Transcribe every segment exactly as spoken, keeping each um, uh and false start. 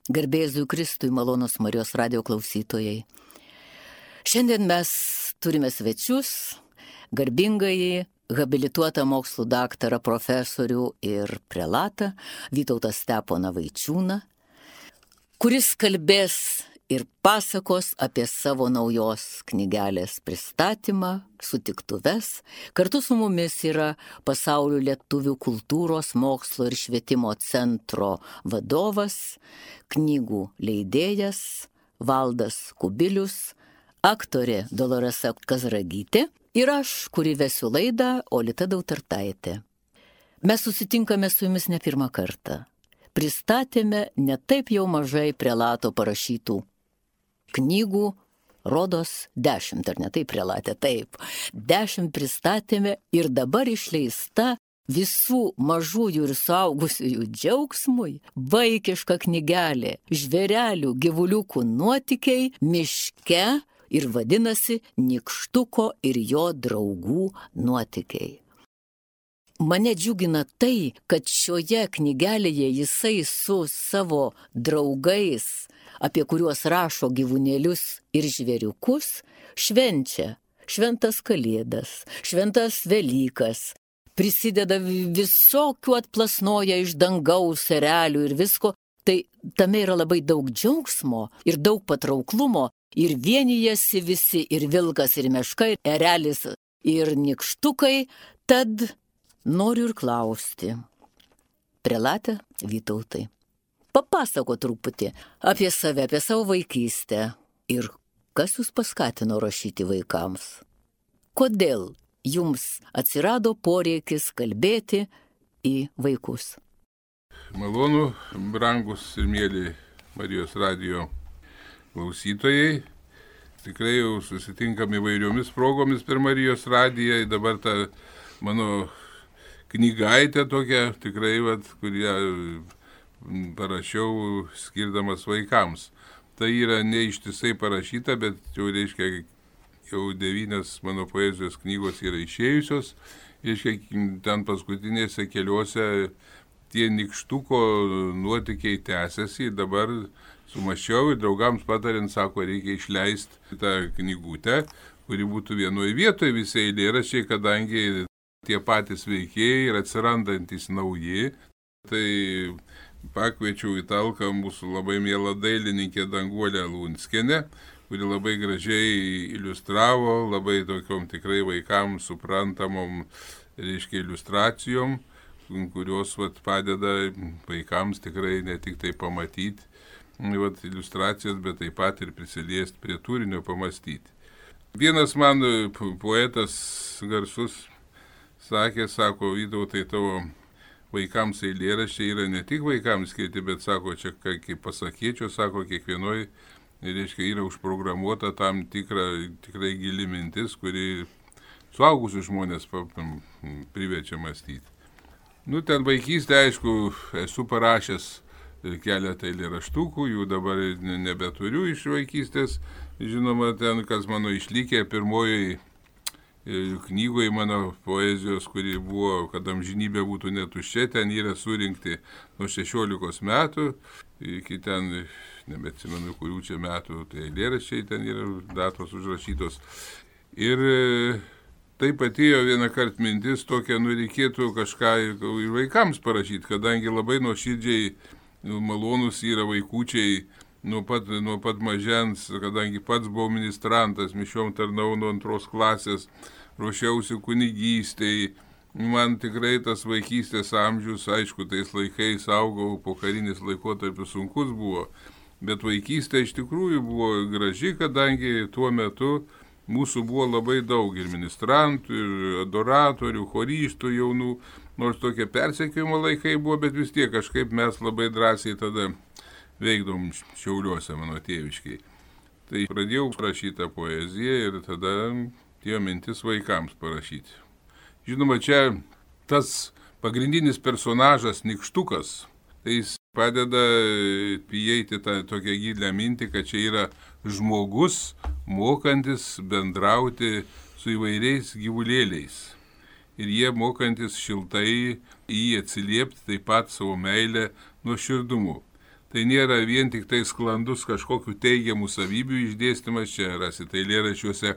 Garbė Jėzui Kristui, malonūs Marijos radijo klausytojai. Šiandien mes turime svečius, garbingąjį, habilituotą mokslų daktarą, profesorių ir prelatą Vytautą Steponą Vaičiūną, kuris kalbės ir pasakos apie savo naujos knygelės pristatymą, sutiktuves. Kartu su mumis yra Pasaulio lietuvių kultūros, mokslo ir švietimo centro vadovas, knygų leidėjas Valdas Kubilius, aktorė Doloresa Kazragytė ir aš, kuri vesiu laidą, Olita Dautartaitė. Mes susitinkame su jumis ne pirmą kartą. Pristatėme ne taip jau mažai prelato parašytų knygų, rodos dešimt, ar ne taip prelatė, taip. Dešimt pristatėme ir dabar išleista visų mažųjų ir suaugusiųjų džiaugsmui vaikiška knygelė Žvėrelių gyvuliukų nuotykiai miške ir vadinasi Nykštuko ir jo draugų nuotykiai. Mane džiugina tai, kad šioje knygelėje jisai su savo draugais, apie kuriuos rašo gyvūnėlius ir žvėriukus, švenčia šventas Kalėdas, šventas Velykas, prisideda visokių atplasnoja iš dangaus erelių ir visko. Tai tame yra labai daug džiaugsmo ir daug patrauklumo ir vienijasi visi, ir vilkas, ir meška, ir erelis, ir nykštukai. Tad noriu ir klausti, prelate Vytautai, papasako truputį apie save, apie savo vaikystę ir kas jūs paskatino rašyti vaikams. Kodėl jums atsirado poreikis kalbėti į vaikus? Malonu, brangus ir mėly Marijos radijo klausytojai. Tikrai jau susitinkam įvairiomis progomis per Marijos radiją. Dabar ta mano knygaitė tokia, tikrai, vat, kurią parašiau skirdamas vaikams. Tai yra ne ištisai parašyta, bet jau reiškia, jau devynios mano poezijos knygos yra išėjusios. Reiškia, ten paskutinėse keliuose tie Nykštuko nuotykiai tęsiasi. Dabar sumašiau ir draugams patarint, sako, reikia išleisti tą knygutę, kuri būtų vienoje vietoje visi eilėraščiai, kadangi tie patys veikėjai ir atsirandantis nauji. Tai pakviečiau į talką mūsų labai mielą dailininkę Danguolę Lunskienę, kuri labai gražiai iliustravo, labai tokiom tikrai vaikams suprantamom, reiškia, iliustracijom, kurios vat, padeda vaikams tikrai ne tik tai pamatyti vat, iliustracijas, bet taip pat ir prisiliesti prie turinio, pamastyti. Vienas man poetas garsus sakė, sako, Vytautai, tavo vaikams eilėraščiai yra ne tik vaikams skirti, bet sako, čia kaip pasakėčiau, sako, kiekvienoj, reiškia, yra užprogramuota tam tikra, tikrai gili mintis, kuri suaugusius žmonės priverčia mąstyti. Nu, ten vaikystė, aišku, esu parašęs keletą eilėraštukų, jų dabar nebeturiu iš vaikystės. Žinoma, ten, kas mano išlikė, pirmoji knygoje mano poezijos, kuri buvo, kad amžinybė būtų netuščia, ten yra surinkti nuo šešiolikos metų, iki ten, nebeatsimenu, kurių čia metų, tai eilėraščiai ten yra datos užrašytos. Ir taip atėjo vieną kartą mintis tokia, nu reikėtų kažką ir vaikams parašyti, kadangi labai nuoširdžiai malonus yra vaikučiai nuo pat, nuo pat mažens, kadangi pats buvau ministrantas, mišiom tarnau nuo antros klasės, ruošiausi kunigystei. Man tikrai tas vaikystės amžius, aišku, tais laikais augau, pokarinis laikotarpis sunkus buvo, bet vaikystė iš tikrųjų buvo graži, kadangi tuo metu mūsų buvo labai daug ir ministrantų, ir adoratorių, choristų jaunų, nors tokie persekiojimo laikai buvo, bet vis tiek kažkaip mes labai drąsiai tada veikdom Šiauliuose mano tėviškiai. Tai pradėjau parašyti poeziją ir tada tie mintis vaikams parašyti. Žinoma, čia tas pagrindinis personažas Nykštukas, tai jis padeda įeiti tą tokią gilią mintį, kad čia yra žmogus mokantis bendrauti su įvairiais gyvulėliais. Ir jie mokantis šiltai į jį atsiliepti taip pat savo meilę nuoširdumu. tai nėra vien tik tai sklandus kažkokių teigiamų savybių išdėstymas, čia rasite eilėraščiuose,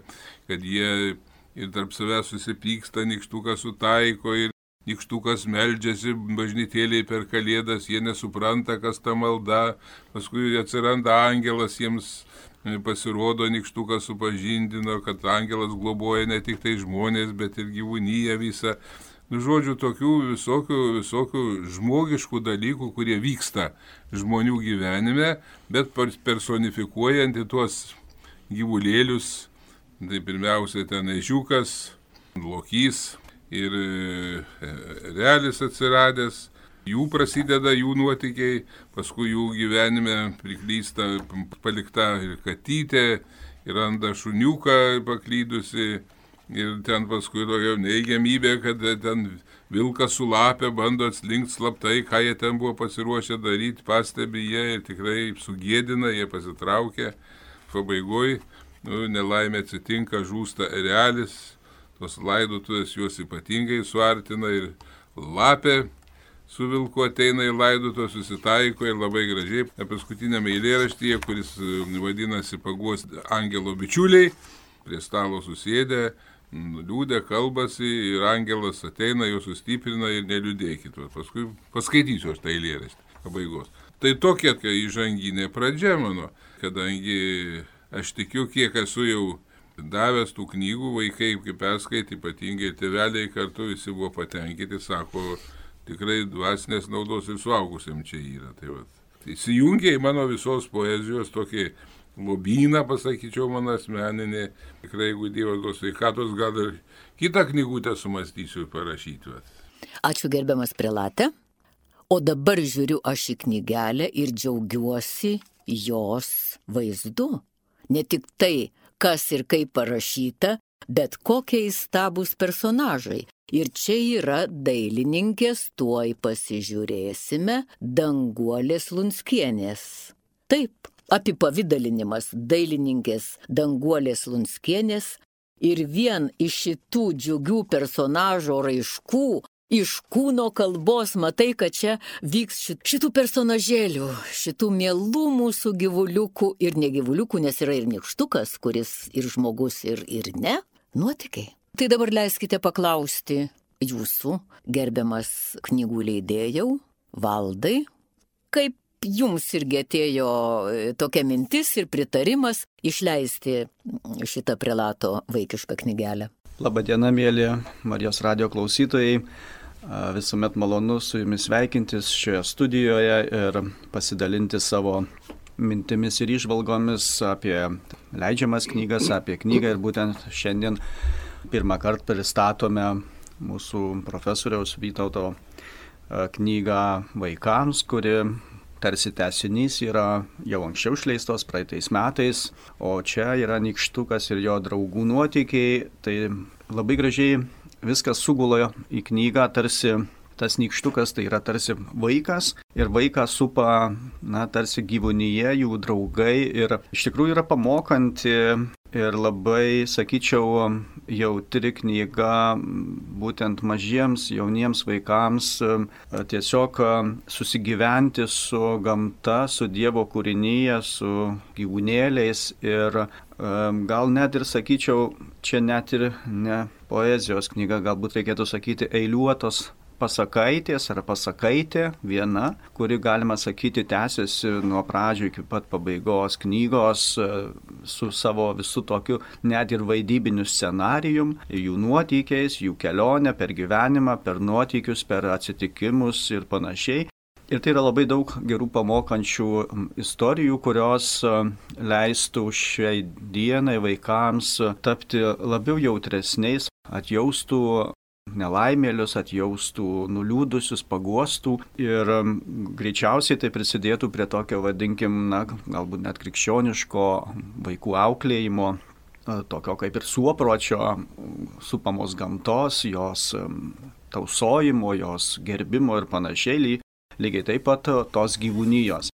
kad jie ir tarp savęs susipyksta, nykštukas sutaiko ir nykštukas meldžiasi bažnytėliai per kalėdas, jie nesupranta, kas ta malda, paskui atsiranda angelas, jiems pasirodo, nykštukas supažindino, kad angelas globoja ne tik tai žmonės, bet ir gyvūniją visą. Nu, žodžiu, tokių visokių, visokių žmogiškų dalykų, kurie vyksta žmonių gyvenime, bet personifikuojant į tuos gyvulėlius, tai pirmiausia ten ežiukas, lokys ir erelis atsiradęs, jų prasideda jų nuotykiai, paskui jų gyvenime priklysta palikta ir katytė, ir randa šuniuką paklydusi. Ir ten paskui tokia neigiamybė, kad ten vilkas su lapė bando atslinkti slaptai, ką jie ten buvo pasiruošę daryti, pastebi jie ir tikrai sugėdina, jie pasitraukia. Pabaigoj, nu, nelaimė atsitinka, žūsta erelis, tos laidotuvės juos ypatingai suartina ir lapė su vilku ateina į laidotuvę, susitaiko ir labai gražiai. Paskutinėme eilėraštyje, kuris vadinasi Paguos angelo bičiuliai, prie stalo susėdę, liūdė, kalbasi ir angelas ateina, jo sustiprina ir neliūdėkit. Paskui paskaitysiu aš tą eilėraštį pabaigos. Tai tokia įžanginė pradžia mano, kadangi aš tikiu, kiek esu jau davęs tų knygų, vaikai, kaip perskaitė, ypatingai tėveliai kartu visi buvo patenkinti, sako, tikrai dvasinės naudos ir suaugusiam čia yra. Tai va, įsijungia į mano visos poezijos tokį lobyną, pasakyčiau, mano asmeninė. Tikrai, jeigu Dievas duos sveikatos, gal ir kitą knygutę sumąstysiu parašyti. Ačiū gerbiamas prelate. O dabar žiūriu aš į knygelę ir džiaugiuosi jos vaizdu. Ne tik tai, kas ir kaip parašyta, bet kokie įstabūs personažai. Ir čia yra dailininkės, tuoj pasižiūrėsime, Danguolės Lunskienės. Taip. Apipavidalinimas dailininkės Danguolės Lunskienės ir vien iš šitų džiugių personažo raiškų, iš kūno kalbos matai, kad čia vyks šitų personažėlių, šitų mielų mūsų gyvuliukų ir negyvuliukų, nes yra ir nykštukas, kuris ir žmogus, ir, ir ne, nuotykiai. Tai dabar leiskite paklausti jūsų, gerbiamas knygų leidėjau, Valdai, kaip jums irgi atėjo tokia mintis ir pritarimas išleisti šitą prelato vaikišką knygelę. Labadiena, mėly Marijos radijo klausytojai. Visuomet malonu su jumis sveikintis šioje studijoje ir pasidalinti savo mintimis ir įžvalgomis apie leidžiamas knygas, apie knygą. Ir būtent šiandien pirmą kartą pristatome mūsų profesoriaus Vytauto knygą vaikams, kuri tarsi tęsinys yra jau anksčiau išleistos praeitais metais, o čia yra nykštukas ir jo draugų nuotykiai. Tai labai gražiai viskas sugula į knygą, tarsi tas nykštukas tai yra tarsi vaikas ir vaiką supa, na, tarsi gyvūnyje, jų draugai ir iš tikrųjų yra pamokanti ir labai, sakyčiau, jautri knyga būtent mažiems, jauniems vaikams tiesiog susigyventi su gamta, su Dievo kūrinyje, su gyvūnėliais ir gal net ir, sakyčiau, čia net ir ne poezijos knyga, galbūt reikėtų sakyti eiliuotos pasakaitės ar pasakaitė viena, kuri, galima sakyti, tęsiasi nuo pradžių iki pat pabaigos knygos su savo visų tokiu net ir vaidybiniu scenarijum, jų nuotykiais, jų kelionę per gyvenimą, per nuotykius, per atsitikimus ir panašiai. Ir tai yra labai daug gerų pamokančių istorijų, kurios leistų šiai dienai vaikams tapti labiau jautresniais, atjaustų nelaimėlius, atjaustų nuliūdusius, paguostų ir greičiausiai tai prisidėtų prie tokio, vadinkim, na, galbūt net krikščioniško vaikų auklėjimo, tokio kaip ir suopročio, supamos gamtos, jos tausojimo, jos gerbimo ir panašiai, lygiai taip pat tos gyvūnijos.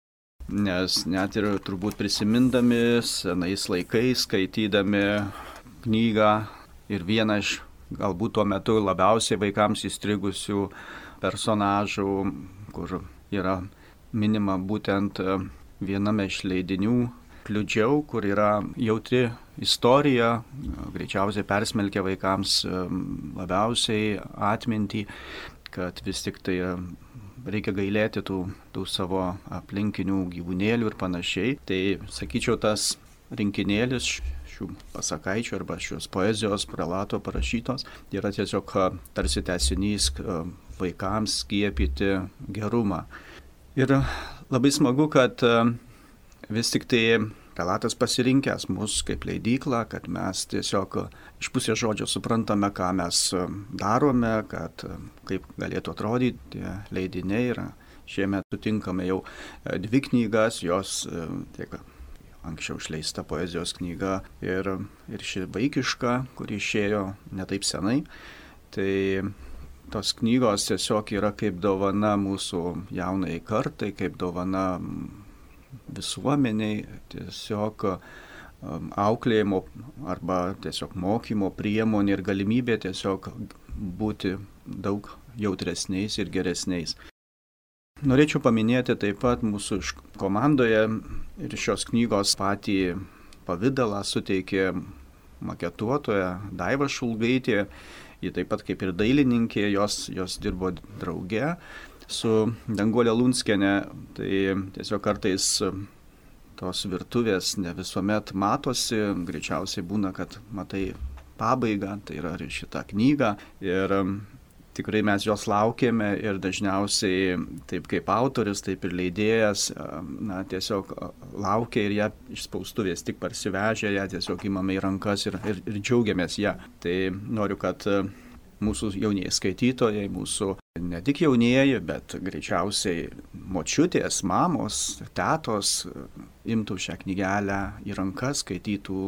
Nes net ir turbūt prisimindami senais laikais, skaitydami knygą ir vieną iš galbūt tuo metu labiausiai vaikams įstrigusių personažų, kur yra minima būtent viename iš leidinių Kliudžiau, kur yra jautri istorija, greičiausiai persmelkia vaikams labiausiai atmintį, kad vis tik tai reikia gailėti tų, tų savo aplinkinių gyvūnėlių ir panašiai. Tai, sakyčiau, tas rinkinėlis šių pasakaičių arba šios poezijos prelato parašytos yra tiesiog tarsi tęsinys vaikams skiepyti gerumą. Ir labai smagu, kad vis tik tai prelatas pasirinkęs mus kaip leidyklą, kad mes tiesiog iš pusės žodžio suprantame, ką mes darome, kad kaip galėtų atrodyti tie leidiniai. Ir šiemet sutinkame jau dvi knygas, jos tiek anksčiau išleista poezijos knyga ir, ir ši vaikiška, kuri išėjo ne taip senai. Tai tos knygos tiesiog yra kaip dovana mūsų jaunai kartai, kaip dovana visuomeniai, tiesiog auklėjimo arba tiesiog mokymo priemonė ir galimybė tiesiog būti daug jautresniais ir geresniais. Norėčiau paminėti taip pat mūsų komandoje ir šios knygos patį pavidalą suteikė maketuotoja Daiva Šulgaitė. Ji taip pat kaip ir dailininkė, jos, jos dirbo drauge su Danguolė Lunskienė. Tai tiesiog kartais tos virtuvės ne visuomet matosi, greičiausiai būna, kad matai pabaigą, tai yra ir šitą knygą. Ir tikrai mes jos laukėme ir dažniausiai taip kaip autorius, taip ir leidėjas, na, tiesiog laukia ir ją iš spaustuvės tik parsivežę, ją tiesiog imame į rankas ir, ir, ir džiaugiamės ją. Tai noriu, kad mūsų jaunieji skaitytojai, mūsų ne tik jaunieji, bet greičiausiai močiutės, mamos, tetos imtų šią knygelę į rankas, skaitytų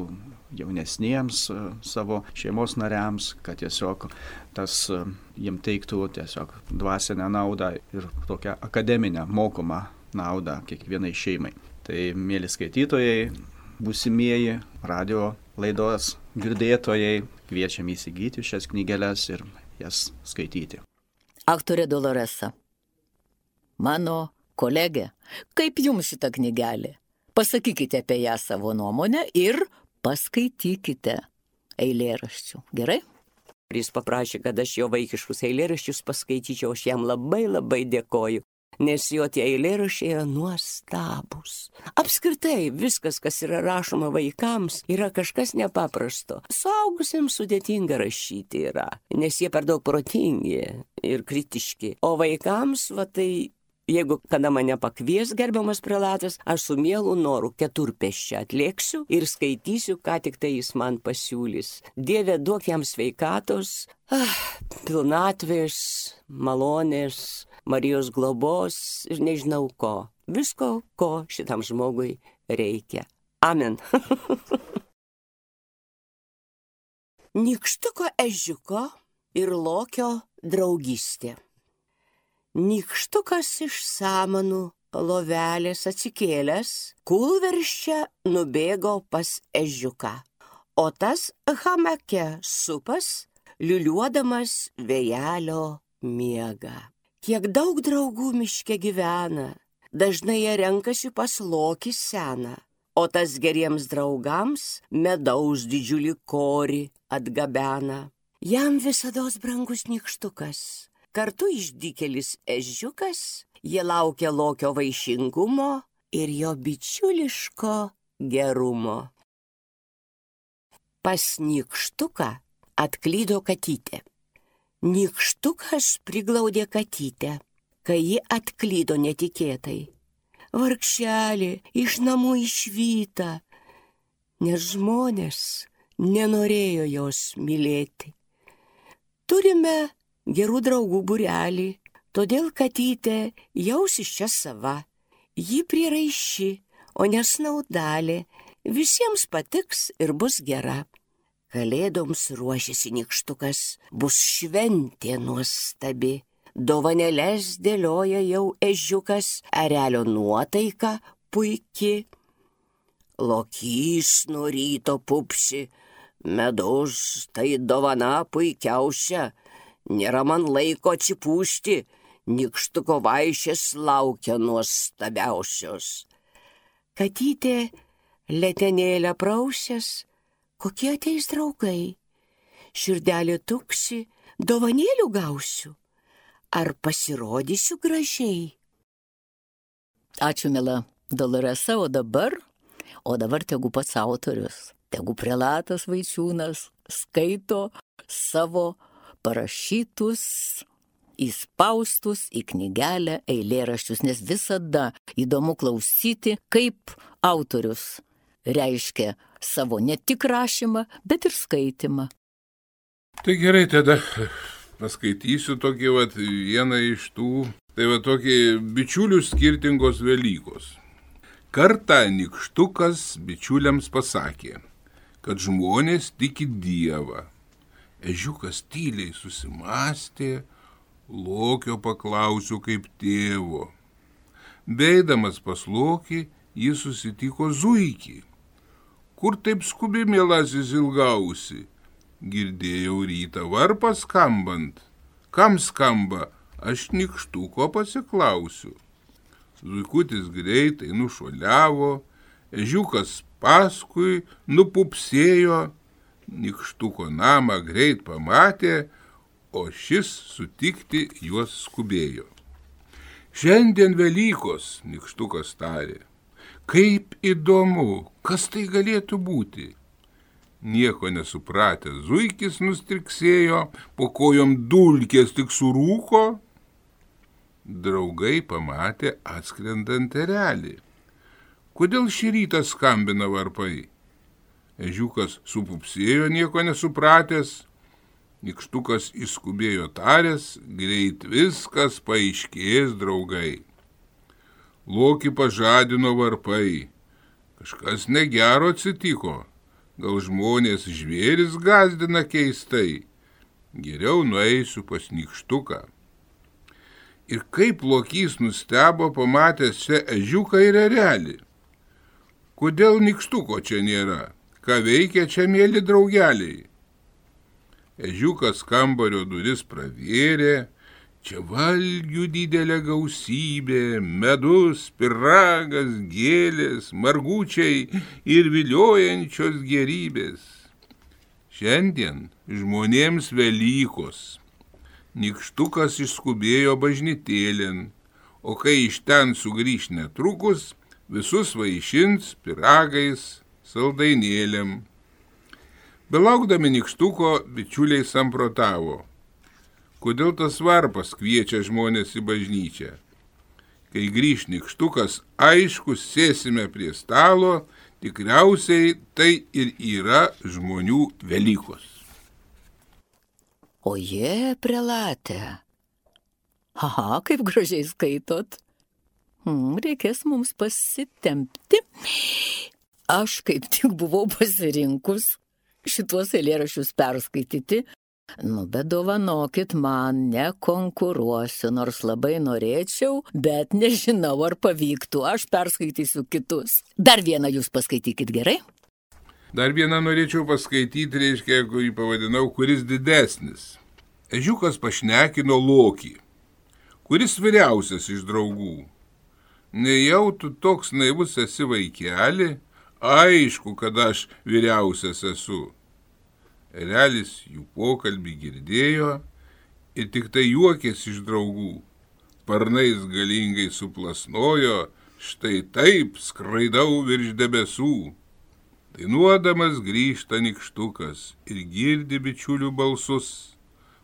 jaunesniems savo šeimos nariams, kad tiesiog tas jiem teiktų tiesiog dvasinę naudą ir tokią akademinę, mokomą naudą kiekvienai šeimai. Tai, mėly skaitytojai, būsimieji radio laidos girdėtojai, kviečiam įsigyti šias knygeles ir jas skaityti. Aktorė Doloresa, mano kolegė, kaip jums šita knygelė? Pasakykite apie ją savo nuomonę ir paskaitykite eilėraščių. Gerai? Jis paprašė, kad aš jo vaikiškus eilėraščius paskaityčiau, aš jam labai labai dėkoju, nes jo tie eilėraščiai yra nuostabus. Apskritai, viskas, kas yra rašoma vaikams, yra kažkas nepaprasto. Suaugusiems sudėtinga rašyti yra, nes jie per daug protingi ir kritiški. O vaikams, va tai, jeigu kada mane pakvies gerbiamas prelatas, aš su mielu noru keturpėsčia atlėksiu ir skaitysiu, ką tik tai jis man pasiūlys. Dieve, duok jam sveikatos, ah, pilnatvės, malonės, Marijos globos ir nežinau ko. Visko, ko šitam žmogui reikia. Amen. Nykštuko ežiuko ir lokio draugystė. Nykštukas iš samanų lovelės atsikėlęs, kūlversčia nubėgo pas ežiuką, o tas hamake supas, liuliuodamas vėjelio miega. Kiek daug draugų miške gyvena, dažnai jie renkasi pas lokį seną, o tas geriems draugams medaus didžiulį korį atgabena. Jam visados brangus nykštukas, kartu išdykėlis ežiukas, jie laukia lokio vaišingumo ir jo bičiuliško gerumo. Pas nykštuką atklydo katytė. Nykštukas priglaudė katytę, kai ji atklydo netikėtai. Vargšelė iš namų išvyta, nes žmonės nenorėjo jos mylėti. Turime gerų draugų būrelį, todėl katytė jausis čia sava. Ji prieraiši, o nesnaudalė, visiems patiks ir bus gera. Kalėdoms ruošiasi nykštukas, bus šventė nuostabi. Dovanėles dėlioja jau ežiukas, erelio nuotaika puiki. Lokys nuo ryto pupsi, medus tai dovana puikiausia. Nėra man laiko atsipūsti, Nykštuko vaišės laukia nuostabiausios. Katytė letenėlę prausęs, kokie ateis draugai. Širdelė tuksi, dovanėlių gausiu. Ar pasirodysiu gražiai? Ačiū, mila Doloresa, o dabar, o dabar tegu pats autorius, tegu prelatas Vaičiūnas skaito savo parašytus, įspaustus į knygelę eilėraščius, nes visada įdomu klausyti, kaip autorius reiškia savo ne tik rašymą, bet ir skaitimą. Tai gerai, tada paskaitysiu tokį vat, vieną iš tų, tai va tokie bičiulių skirtingos Velykos. Kartą nykštukas bičiuliams pasakė, kad žmonės tiki Dievą. Ežiukas tyliai susimastė, Lokio paklausiu kaip tėvo. Beidamas pas Lokį, jis susitiko zuikį. Kur taip skubi, mielasis, ilgausi? Girdėjau rytą varpą skambant. Kam skamba? Aš nykštuko pasiklausiu. Zuikutis greitai nušuoliavo, ežiukas paskui nupupsėjo, nykštuko namą greit pamatė, o šis sutikti juos skubėjo. Šiandien Velykos, nykštukas tarė. Kaip įdomu, kas tai galėtų būti? Nieko nesupratęs zuikis nustriksėjo, po kojom dulkės tik surūko. Draugai pamatė atskrendant erelį. Kodėl šį rytą skambina varpai? Ežiukas supupsėjo nieko nesupratęs. Nykštukas įskubėjo taręs, greit viskas paaiškės, draugai. Lokį pažadino varpai. Kažkas negero atsitiko. Gal žmonės žvėris gazdina keistai. Geriau nueisiu pas nykštuką. Ir kaip Lokys nustebo pamatęs čia ežiuką ir erelį. Kodėl nykštuko čia nėra? Ką veikia čia, mėly draugeliai? Ežiukas kambario duris pravėrė, čia valgių didelė gausybė, medus, pyragas, gėlės, margučiai ir viliojančios gerybės. Šiandien žmonėms Velykos. Nykštukas išskubėjo bažnytėlin, o kai iš ten sugrįš netrukus, visus vaišins pyragais, saldainėlėm. Belaukdami nykštuko, bičiuliai samprotavo. Kodėl tas varpas kviečia žmonės į bažnyčią? Kai grįš nykštukas, aišku, sėsime prie stalo, tikriausiai tai ir yra žmonių Velykos. O jie, prelate. Aha, kaip gražiai skaitot. Hmm, reikės mums pasitempti. Aš kaip tik buvau pasirinkus šituos eilėraščius perskaityti. Nu, bet dovanokit, man nekonkuruosiu, nors labai norėčiau, bet nežinau, ar pavyktų. Aš perskaitysiu kitus. Dar vieną jūs paskaitykit, gerai? Dar vieną norėčiau paskaityti, reiškia, kurį pavadinau, kuris didesnis. Ežiukas pašnekino Lokį, kuris vyriausias iš draugų. Nejau tu toks naivus esi, vaikeli, aišku, kad aš vyriausias esu. Erelis jų pokalbį girdėjo ir tik tai juokės iš draugų. Sparnais galingai suplasnojo, štai taip skraidau virš debesų. Dainuodamas grįžta nykštukas ir girdi bičiulių balsus.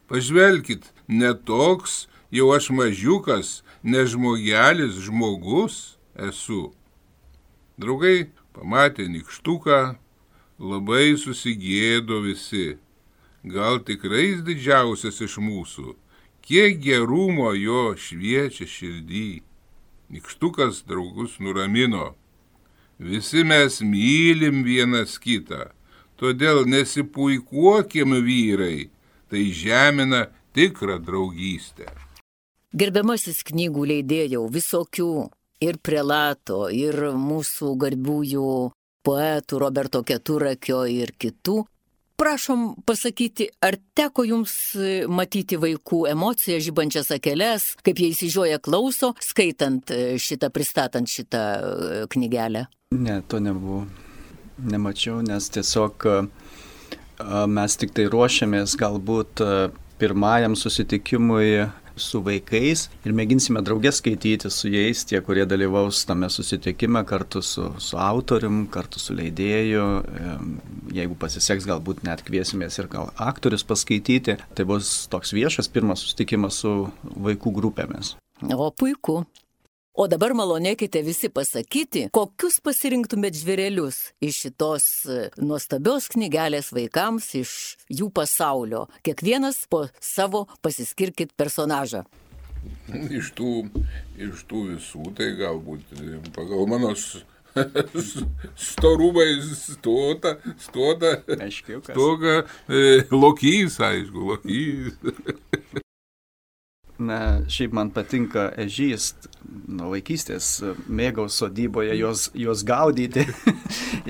Pažvelkit, ne toks jau aš mažiukas, ne žmogelis, žmogus esu. Draugai pamatė nykštuką, labai susigėdo visi. Gal tikrai jis didžiausias iš mūsų, kiek gerumo jo šviečia širdį. Nykštukas draugus nuramino. Visi mes mylim vienas kitą, todėl nesipuikuokim vyrai, tai žemina tikrą draugystę. Gerbiamasis knygų leidėjau, visokių ir prelato, ir mūsų garbiųjų poetų Roberto Keturakio ir kitų prašom pasakyti, ar teko jums matyti vaikų emocijas, žibančias akeles, kaip jie įsižioja klauso, skaitant šitą, pristatant šitą knygelę? Ne, to nebuvo. Nemačiau, nes tiesiog mes tik tai ruošiamės galbūt pirmajam susitikimui su vaikais ir mėginsime draugės skaityti su jais, tie, kurie dalyvaus tame susitikime kartu su, su autorium, kartu su leidėju. Jeigu pasiseks, galbūt net kviesimės ir gal aktorius paskaityti. Tai bus toks viešas pirmas susitikimas su vaikų grupėmis. O puiku. O dabar malonėkite visi pasakyti, kokius pasirinktumėt žvėrelius iš šitos nuostabios knygelės vaikams, iš jų pasaulio. Kiekvienas po savo pasiskirkit personažą. Iš tų, iš tų visų, tai galbūt pagal mano storumai stota, stota, stoga, e, lokys, aišku, lokys. Na, šiaip man patinka ežys, nuo vaikystės mėgau sodyboje juos, juos gaudyti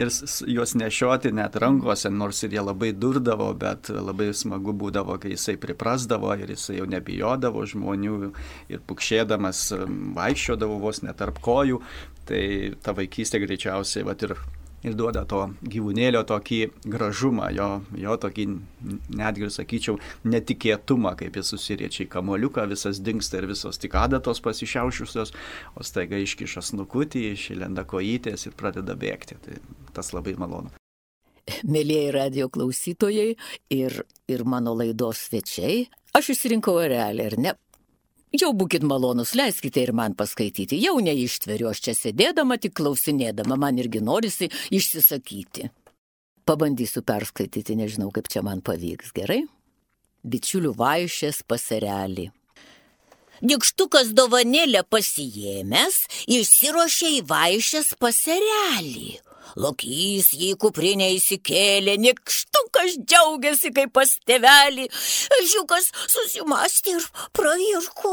ir juos nešioti net rankose, nors ir jie labai durdavo, bet labai smagu būdavo, kai jisai priprasdavo ir jisai jau nebijodavo žmonių ir pukšėdamas vaikščiodavo vos net tarp kojų. Tai ta vaikystė greičiausiai vat, ir ir duoda to gyvūnėlio tokį gražumą, jo, jo tokį, netgi sakyčiau, netikėtumą, kaip jis susiriečia į kamuoliuką, visas dingsta ir visos tik adatos pasišiaušusios, o staiga iškiša snukutį, išlenda kojytės ir pradeda bėgti. Tai tas labai malonu. Mėlieji radijo klausytojai ir, ir mano laidos svečiai, aš išsirinkau erelį, ar ne? Jau būkit malonus, leiskite ir man paskaityti. Jau neištveriu, aš čia sėdėdama, tik klausinėdama, man irgi norisi išsisakyti. Pabandysiu perskaityti, nežinau, kaip čia man pavyks, gerai? Bičiulių vaišės pas erelį. Nykštukas dovanėlę pasiėmęs, išsiruošė į vaišės pas erelį. Lokys jį kuprinę įsikėlė, nykštukas džiaugiasi kaip pas tėvelį. Ežiukas susimastė ir pravirko.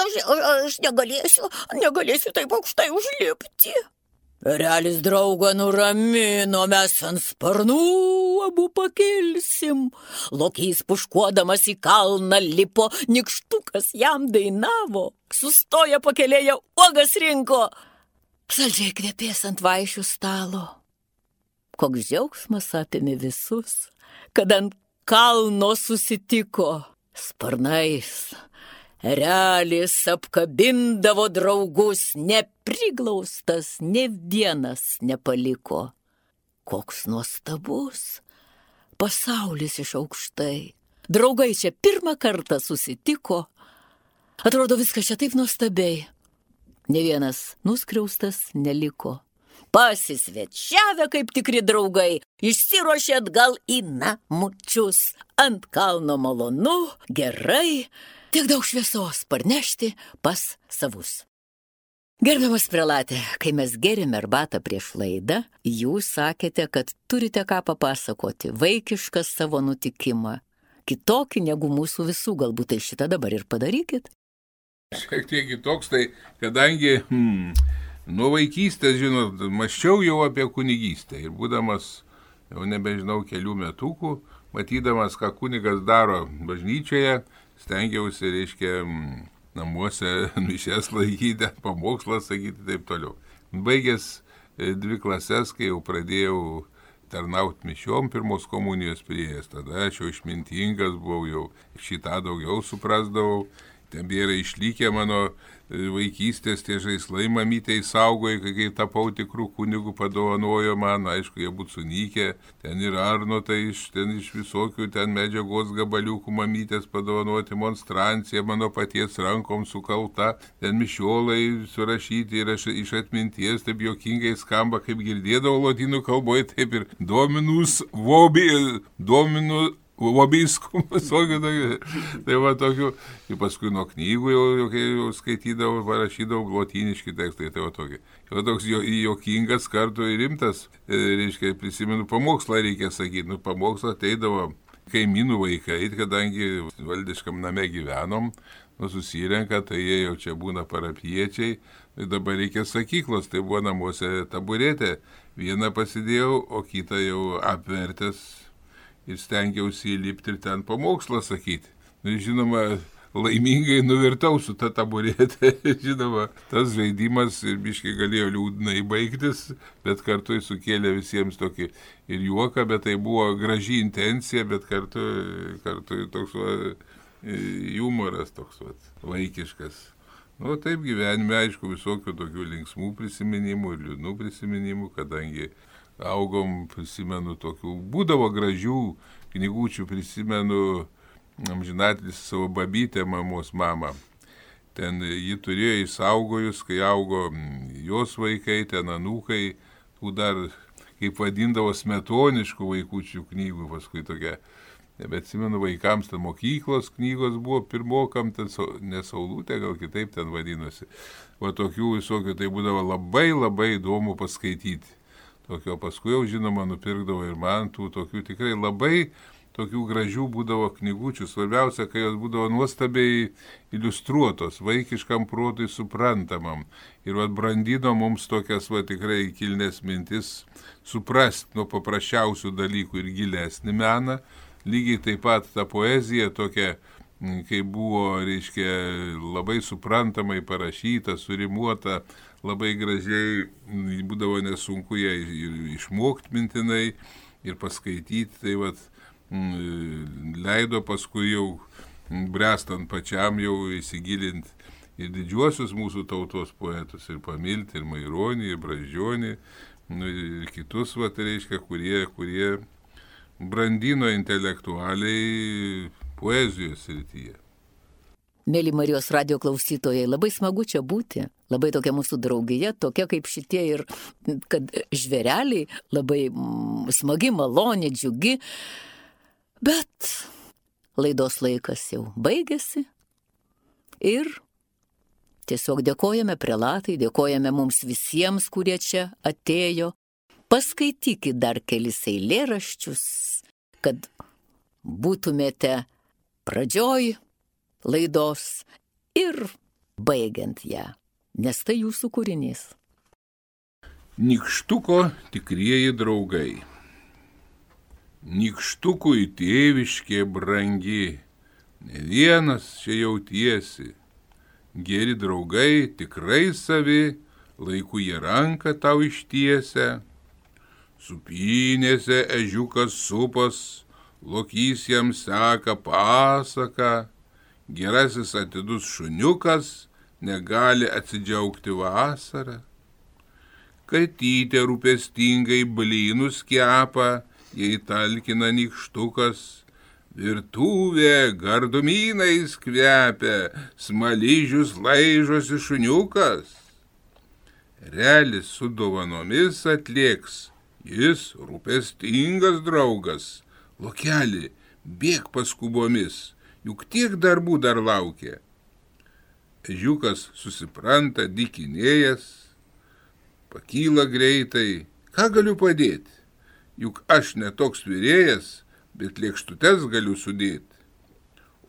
Aš, aš negalėsiu, negalėsiu taip aukštai užlipti. Erelis draugą nuramino, mes ant sparnų abu pakilsim. Lokys puškuodamas į kalną lipo, nykštukas jam dainavo. Sustoja pakelėje, uogas rinko. Saldžiai kvepės ant vaišių stalo. Koks džiaugsmas apėmė visus, kad ant kalno susitiko sparnais. Erelis apkabindavo draugus, nepriglaustas, ne vienas nepaliko. Koks nuostabus pasaulis iš aukštai. Draugai čia pirmą kartą susitiko. Atrodo, viskas čia taip nuostabiai. Ne vienas nuskriaustas neliko. Pasisvečiavę kaip tikri draugai, išsiruošė atgal į namučius. Ant kalno malonu, gerai, tiek daug šviesos parnešti pas savus. Gerbiamas prelatė, kai mes gėrėme arbatą prieš laidą, jūs sakėte, kad turite ką papasakoti, vaikišką savo nutikimą, kitokį negu mūsų visų, galbūt tai šitą dabar ir padarykit. Šiek tiek kitoks, tai kadangi hmm, nuo vaikystės, žinot, mąsčiau jau apie kunigystę ir būdamas, jau nebežinau, kelių metukų, matydamas, ką kunigas daro bažnyčioje, stengiausi, reiškia, namuose mišias laikyti, pamokslą sakyti, taip toliau. Baigęs dvi klases, kai jau pradėjau tarnauti mišiom, pirmos komunijos priėjęs, tada aš jau išmintingas buvau, jau šitą daugiau suprasdavau. Tebėra išlikę mano vaikystės tie žaislai, mamytei saugojo, kai tapau tikrų kunigų, padovanojo man, aišku, jie būtų sunykę, ten ir arnotai iš, ten iš visokių ten medžiagos gabaliukų mamytės padovanoti, monstrancija mano paties rankom sukalta, ten mišiolai surašyti ir aš iš atminties, taip jokingai skamba, kaip girdėdavau lotynų kalboje, taip ir dominus vobi, dominus Vobiskum, visokių tokių. Tai va tokių. Ir paskui nuo knygų jau, jau, jau skaitydavau, parašydavau lotyniški tekstai. Tai va tokie. Jau toks jo, jokingas kartu ir rimtas. E, reiškia, prisimenu, pamokslą reikia sakyti. Nu, pamokslą ateidavo kaimynų vaikai, kadangi valdiškam name gyvenom. nu, susirenka, tai jie jau čia būna parapiečiai, tai dabar reikia sakyklos, tai buvo namuose taburetė, vieną pasidėjau, o kitą jau apvertęs ir stengiausi įlipti ir ten pamokslą sakyti. Nu, žinoma, laimingai nuvirtau su ta taburetė, žinoma, tas žaidimas ir biškai galėjo liūdnai baigtis, bet kartu sukėlė visiems tokį ir juoką, bet tai buvo graži intencija, bet kartu, kartu toks va, humoras toks va, vaikiškas. Nu, taip gyvenime, aišku, visokių tokių linksmų prisiminimų ir liūdnų prisiminimų, kadangi augom, prisimenu tokių, būdavo gražių knygučių, prisimenu amžinatlis savo babytę, mamos mamą. Ten ji turėjo įsaugojus, kai augo jos vaikai, ten anūkai, tų dar, kaip vadindavo, smetoniškų vaikučių knygų, paskui tokia. Bet atsimenu, vaikams ten mokyklos knygos buvo pirmokam, ten nesaulutė, gal kitaip ten vadinosi. Va tokių visokių, tai būdavo labai labai įdomu paskaityti. Tokio paskui jau, žinoma, nupirkdavo ir man tų tokių tikrai labai tokių gražių būdavo knygučių. Svarbiausia, kai jos būdavo nuostabiai iliustruotos, vaikiškam protui suprantamam. Ir vat brandino mums tokias va tikrai kilnes mintis suprasti nuo paprasčiausių dalykų ir gilesnį meną. Lygiai taip pat ta poezija tokia, kai buvo, reiškia, labai suprantamai parašyta, surimuota, labai gražiai, būdavo nesunku ją išmokti mintinai ir paskaityti. Tai vat leido paskui jau brestant pačiam jau įsigilinti ir didžiuosius mūsų tautos poetus, ir pamilti, ir Maironį, ir Brazdžionį, nu, ir kitus, va, tai reiškia, kurie, kurie brandino intelektualiai poezijos srityje. Mėly Marijos radijo klausytojai, labai smagu čia būti, labai tokia mūsų draugija, tokia kaip šitie ir kad žvėreliai, labai smagi, maloni, džiugi. Bet laidos laikas jau baigėsi ir tiesiog dėkojame prelatai, dėkojame mums visiems, kurie čia atėjo. Paskaitykit dar kelis eilėraščius, kad būtumėte pradžioj laidos ir baigiant ją, nes tai jūsų kūrinys. Nykštuko tikrieji draugai. Nykštukui tėviškė brangi, ne vienas čia jautiesi. Geri draugai tikrai savi, laiku jie ranką tau ištiesia. Supynėse ežiukas supas, lokys jam seka pasaką. Gerasis atidus šuniukas negali atsidžiaugti vasarą. Katytė rūpestingai blynus kepa, jei talkina nykštukas, virtuvė gardumynais kvepia, smaližius laižosi šuniukas. Relis su dovanomis atlėks, jis rūpestingas draugas. Lokeli, bėk paskubomis, juk tiek darbų dar laukia. Ežiukas susipranta dykinėjęs, pakyla greitai, ką galiu padėti? Juk aš netoks virėjas, bet lėkštutes galiu sudėti.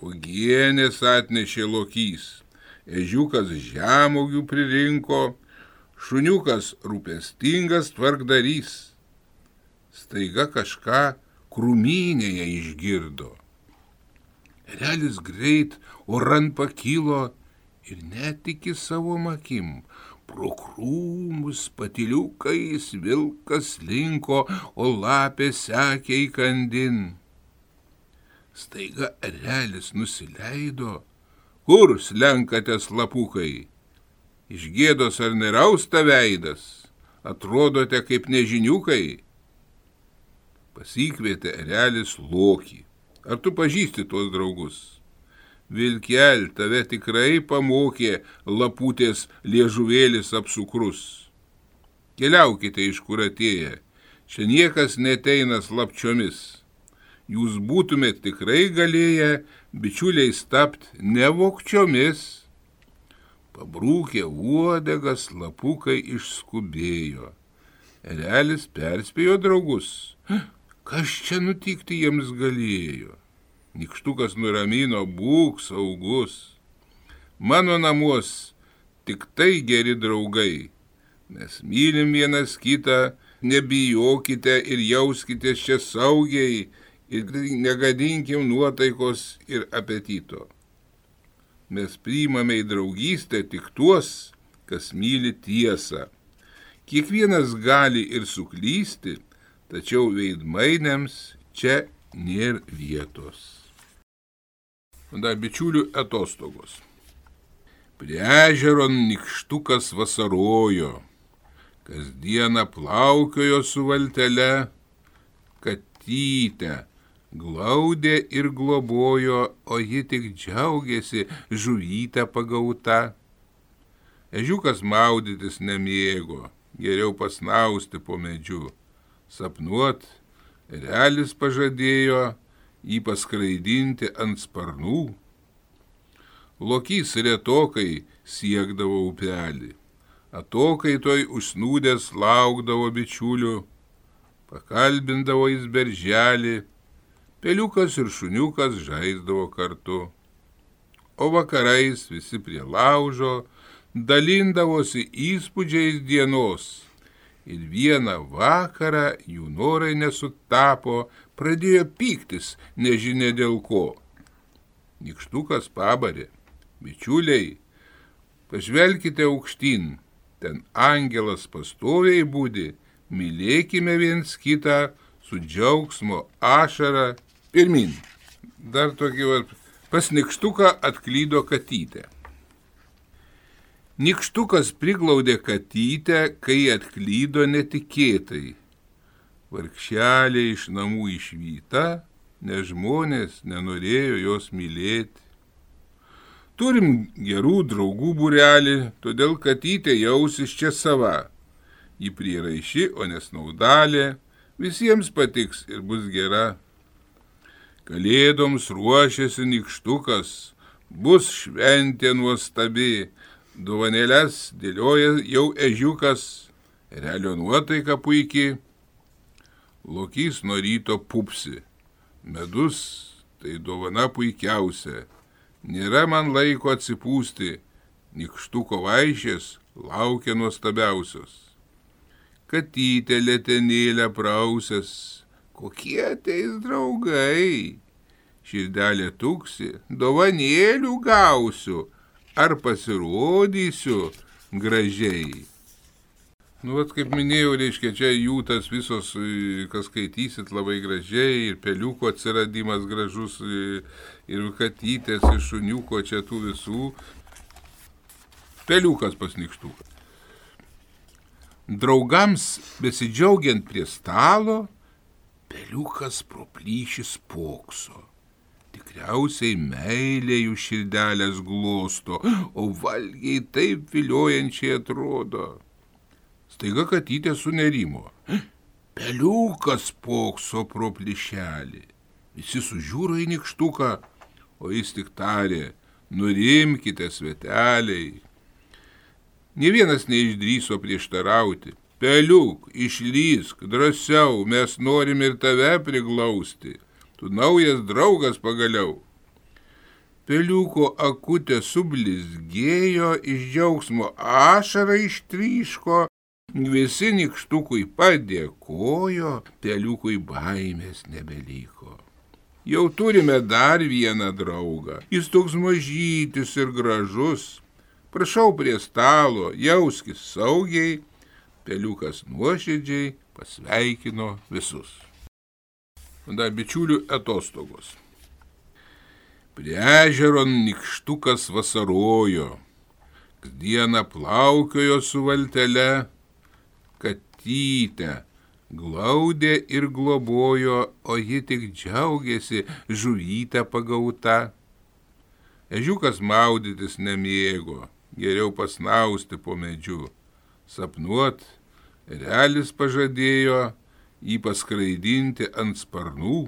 Uogienės atnešė lokys, ežiukas žemuogių pririnko, šuniukas rūpestingas tvarkdarys. Staiga kažką krūmynėje išgirdo. Erelis greit oran pakilo ir netiki savo akim. Pro krūmus patyliukais vilkas linko, o lapė sekė įkandin. Staiga erelis nusileido. Kur slenkatės lapukai? Iš gėdos ar nerausta veidas? Atrodote kaip nežiniukai? Pasikvietė erelis Lokį. Ar tu pažįsti tuos draugus? Vilkel, tave tikrai pamokė laputės liežuvėlis apsukrus. Keliaukite iš kur atėję, čia niekas neteina slapčiomis. Jūs būtumėt tikrai galėję bičiuliais tapt ne vogčiomis. Pabrūkę uodegas lapukai išskubėjo. Erelis perspėjo draugus, kas čia nutikti jiems galėjo. Nykštukas nuramino, būk saugus. mano namuos tik tai geri draugai. Mes mylim vienas kitą, nebijokite ir jauskite čia saugiai ir negadinkim nuotaikos ir apetito. Mes priimame į draugystę tik tuos, kas myli tiesą. Kiekvienas gali ir suklysti, tačiau veidmainiams čia nėra vietos. Dar bičiulių atostogos. Prie ežero nykštukas vasarojo, kasdieną plaukiojo su valtele, katytę glaudė ir globojo, o ji tik džiaugėsi žuvytę pagauta. Ežiukas maudytis nemėgo, geriau pasnausti po medžiu. Sapnuot, erelis pažadėjo jį paskraidinti ant sparnų. Lokys retokai siekdavo upelį, atokaitoj užsnūdęs laukdavo bičiulių, pakalbindavo jis berželį, peliukas ir šuniukas žaisdavo kartu. O vakarais visi prie laužo dalindavosi įspūdžiais dienos. Ir vieną vakarą jų norai nesutapo, pradėjo pyktis, nežinia dėl ko. Nykštukas pabarė: bičiuliai, pažvelkite aukštyn, ten angelas pastoviai būdi, mylėkime viens kitą su džiaugsmo ašara pirmin. Dar tokį va, pas nykštuką atklydo katytę. Nykštukas priglaudė katytę, kai atklydo netikėtai. Vargšelė iš namų išvyta, nes žmonės nenorėjo jos mylėti. Turim gerų draugų būrelį, todėl katytė jausis čia sava. Ji prieraiši, o nesnaudalė, visiems patiks ir bus gera. Kalėdoms ruošiasi nykštukas, bus šventė nuostabi, dovanėles dėlioja jau ežiukas, erelio nuotaika puikiai. Lokys nuo ryto pupsi, medus tai dovana puikiausia, nėra man laiko atsipūsti, nykštuko vaišės laukia nuostabiausios. Katytė letenėlę prausęs, kokie ateis draugai, širdelė tuksi, dovanėlių gausiu, ar pasirodysiu gražiai. Nu, vat, kaip minėjau, reiškia, čia jų tas visos, kas skaitysit, labai gražiai, ir peliuko atsiradimas gražus, ir katytės, ir šuniuko, čia tų visų. Peliukas pas nykštuką. Draugams besidžiaugiant prie stalo, peliukas pro plyšį spokso. Tikriausiai meilė jų širdelės glosto, o valgiai taip viliojančiai atrodo. Staiga katytė sunerimo. Peliukas spokso pro plyšelį. Visi sužiūro į nykštuką, o jis tik tarė: nurimkite, sveteliai. Nė vienas neišdrįso prieštarauti. Peliuk, išlysk, drąsiau, mes norim ir tave priglausti. Tu naujas draugas pagaliau. Peliuko akutė sublizgėjo, iš džiaugsmo ašara ištryško, visi nykštukui padėkojo, peliukui baimės nebeliko. Jau turime dar vieną draugą, jis toks mažytis ir gražus. Prašau prie stalo, jauskis saugiai, peliukas nuoširdžiai pasveikino visus. Dar bičiulių atostogos. Prie ežero nykštukas vasarojo, kasdieną plaukiojo su valtele, katytę glaudė ir globojo, o ji tik džiaugėsi žuvytę pagauta. Ežiukas maudytis nemėgo, geriau pasnausti po medžiu. Sapnuot, erelis pažadėjo jį paskraidinti ant sparnų.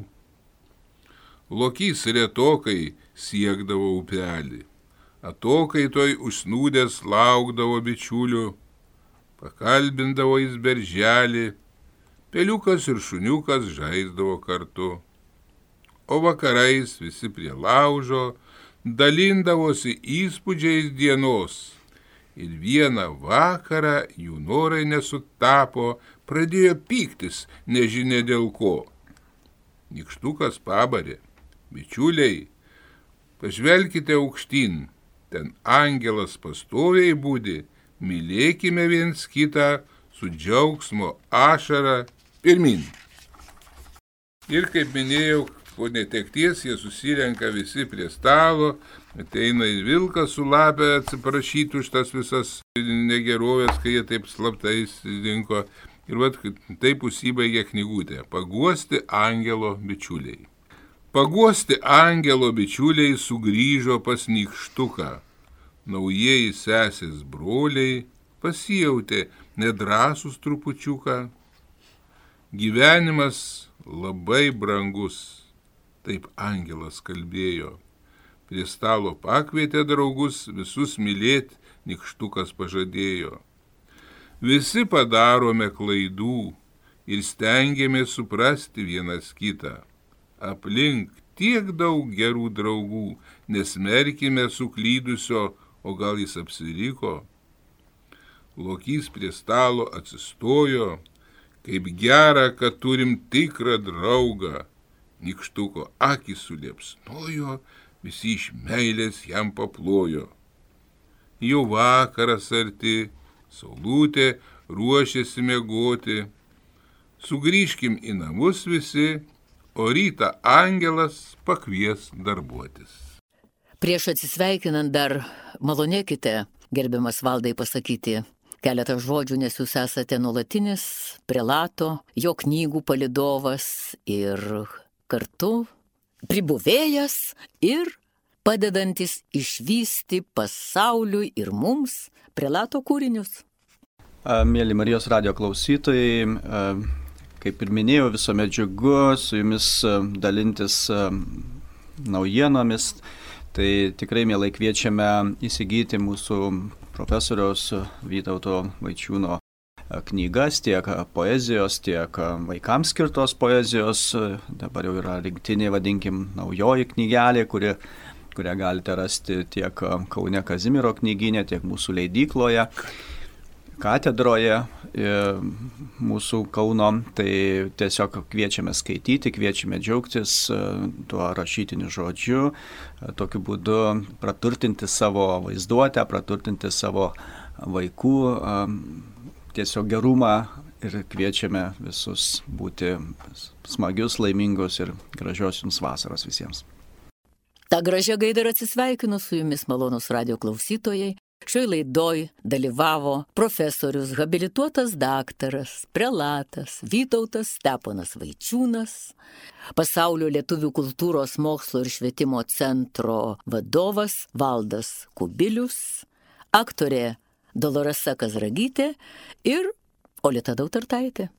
Lokys retokai siekdavo upelį, atokaitoj užsnūdęs laukdavo bičiulių, pakalbindavo jis berželį, peliukas ir šuniukas žaisdavo kartu. O vakarais visi prie laužo dalindavosi įspūdžiais dienos. Ir vieną vakarą jų norai nesutapo, pradėjo pyktis, nežinia dėl ko. Nykštukas pabarė: bičiuliai, pažvelkite aukštyn, ten angelas pastoviai būdi, mylėkime viens kitą su džiaugsmo ašara pirmin. Ir kaip minėjau, po netekties jie susirenka visi prie stalo, ateina ir vilkas su lapė atsiprašyti už tas visas negerovės, kai jie taip slaptais dinko. Ir vat taip užsibaigė knygutė: Paguosti angelo bičiuliai. Paguosti angelo bičiuliai sugrįžo pas Nykštuką. Naujieji sesės broliai pasijautė nedrąsūs trupučiuką. Gyvenimas labai brangus, taip angelas kalbėjo. Prie stalo pakvietė draugus, visus mylėt Nykštukas pažadėjo. Visi padarome klaidų ir stengiamės suprasti vienas kitą. Aplink tiek daug gerų draugų, nesmerkime suklydusio, o gal jis apsiriko. Lokys prie stalo atsistojo: kaip gera, kad turim tikrą draugą. Nykštuko akys suliepsnojo, visi iš meilės jam paplojo. Jau vakaras arti, saulutė ruošiasi miegoti. Sugrįžkim į namus visi, o rytą angelas pakvies darbuotis. Prieš atsisveikinant dar malonėkite, gerbiamas Valdai, pasakyti keletą žodžių, nes jūs esate nuolatinis prelato, jo knygų palydovas ir kartu pribuvėjas ir padedantis išvysti pasauliui ir mums prelato kūrinius. Mėly Marijos radijo klausytojai, kaip ir minėjau, visuomet džiugu su jumis dalintis naujienomis. Tai tikrai mielai kviečiame įsigyti mūsų profesoriaus Vytauto Vaičiūno knygas, tiek poezijos, tiek vaikams skirtos poezijos. Dabar jau yra rinktinė, vadinkim, naujoji knygelė, kuri, kurią galite rasti tiek Kaune Kazimiero knygyne, tiek mūsų leidykloje, katedroje mūsų Kauno. Tai tiesiog kviečiame skaityti, kviečiame džiaugtis tuo rašytiniu žodžiu, tokiu būdu praturtinti savo vaizduotę, praturtinti savo vaikų tiesiog gerumą ir kviečiame visus būti smagius, laimingus ir gražios jums vasaros visiems. Ta gražia gaida ir atsisveikinu su jumis, malonūs radijo klausytojai. Šioj laidoj dalyvavo profesorius, habilituotas daktaras, prelatas Vytautas Steponas Vaičiūnas, Pasaulio lietuvių kultūros mokslo ir švietimo centro vadovas Valdas Kubilius, aktorė Doloresa Kazragytė ir Olita Dautartaitė.